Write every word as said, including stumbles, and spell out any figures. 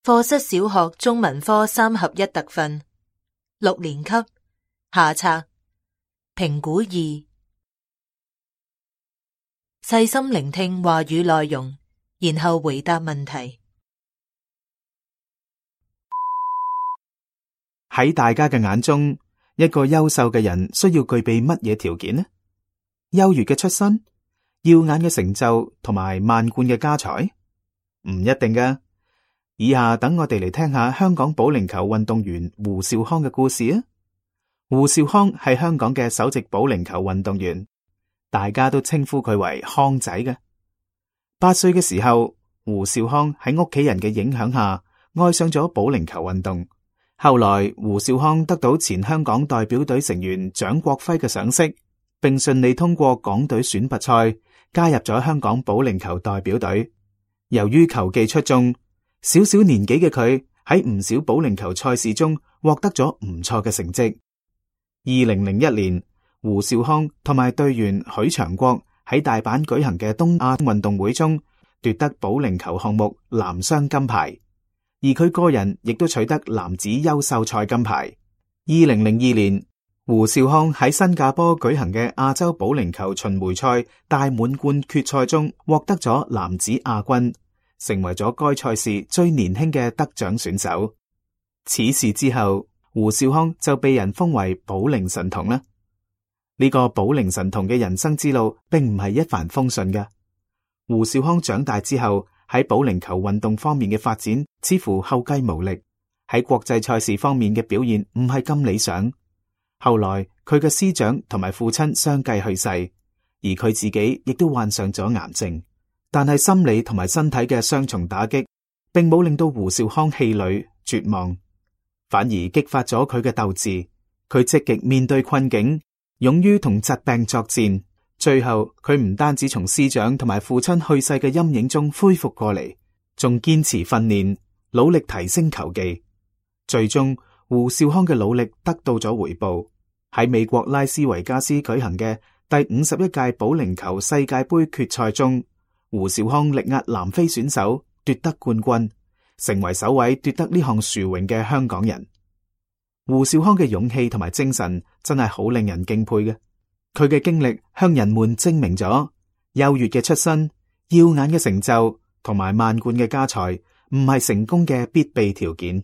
課室小學中文科三合一特訓，六年級下冊評估二，細心聆聽話語內容，然後回答問題。喺大家嘅眼中，一個優秀嘅人需要具備乜嘢條件呢？優越嘅出身、耀眼嘅成就同埋萬貫嘅家財？唔一定㗎。以下等我哋嚟聽下香港保齡球運動員胡兆康嘅故事啊！胡兆康係香港嘅首席保齡球運動員，大家都稱呼佢為康仔嘅。八歲嘅時候，胡兆康喺屋企人嘅影響下，愛上咗保齡球運動。後來，胡兆康得到前香港代表隊成員蔣國輝嘅賞識，並順利通過港隊選拔賽，加入咗香港保齡球代表隊。由於球技出眾，小小年紀嘅佢喺唔少保齡球賽事中獲得咗唔錯嘅成績。二零零一年，胡兆康同埋隊員許長國喺大阪舉行嘅東亞運動會中奪得保齡球項目男雙金牌，而佢個人亦都取得男子優秀賽金牌。二零零二年，胡兆康喺新加坡舉行嘅亞洲保齡球巡迴賽大滿貫決賽中獲得咗男子亞軍，成為咗該賽事最年輕嘅得獎選手。此事之後，胡兆康就被人封為保齡神童啦。呢個保齡神童嘅人生之路並唔係一帆風順嘅。胡兆康長大之後喺保齡球運動方面嘅發展似乎後繼無力，喺國際賽事方面嘅表現唔係咁理想。後來佢嘅師長同埋父親相繼去世，而佢自己亦都患上咗癌症。但係心理同埋身體嘅雙重打擊，並冇令到胡兆康氣餒絕望，反而激發咗佢嘅鬥志。佢積極面對困境，勇於同疾病作戰。最後，佢唔單止從師長同埋父親去世嘅陰影中恢復過嚟，仲堅持訓練，努力提升球技。最終，胡兆康嘅努力得到咗回報。喺美國拉斯維加斯舉行嘅第五十一屆保齡球世界盃決賽中，胡兆康力壓南非選手奪得冠軍，成為首位奪得呢項殊榮嘅香港人。胡兆康嘅勇氣同埋精神真係好令人敬佩嘅。佢嘅經歷向人們證明咗優越嘅出身、耀眼嘅成就同埋萬貫嘅家財唔係成功嘅必備條件。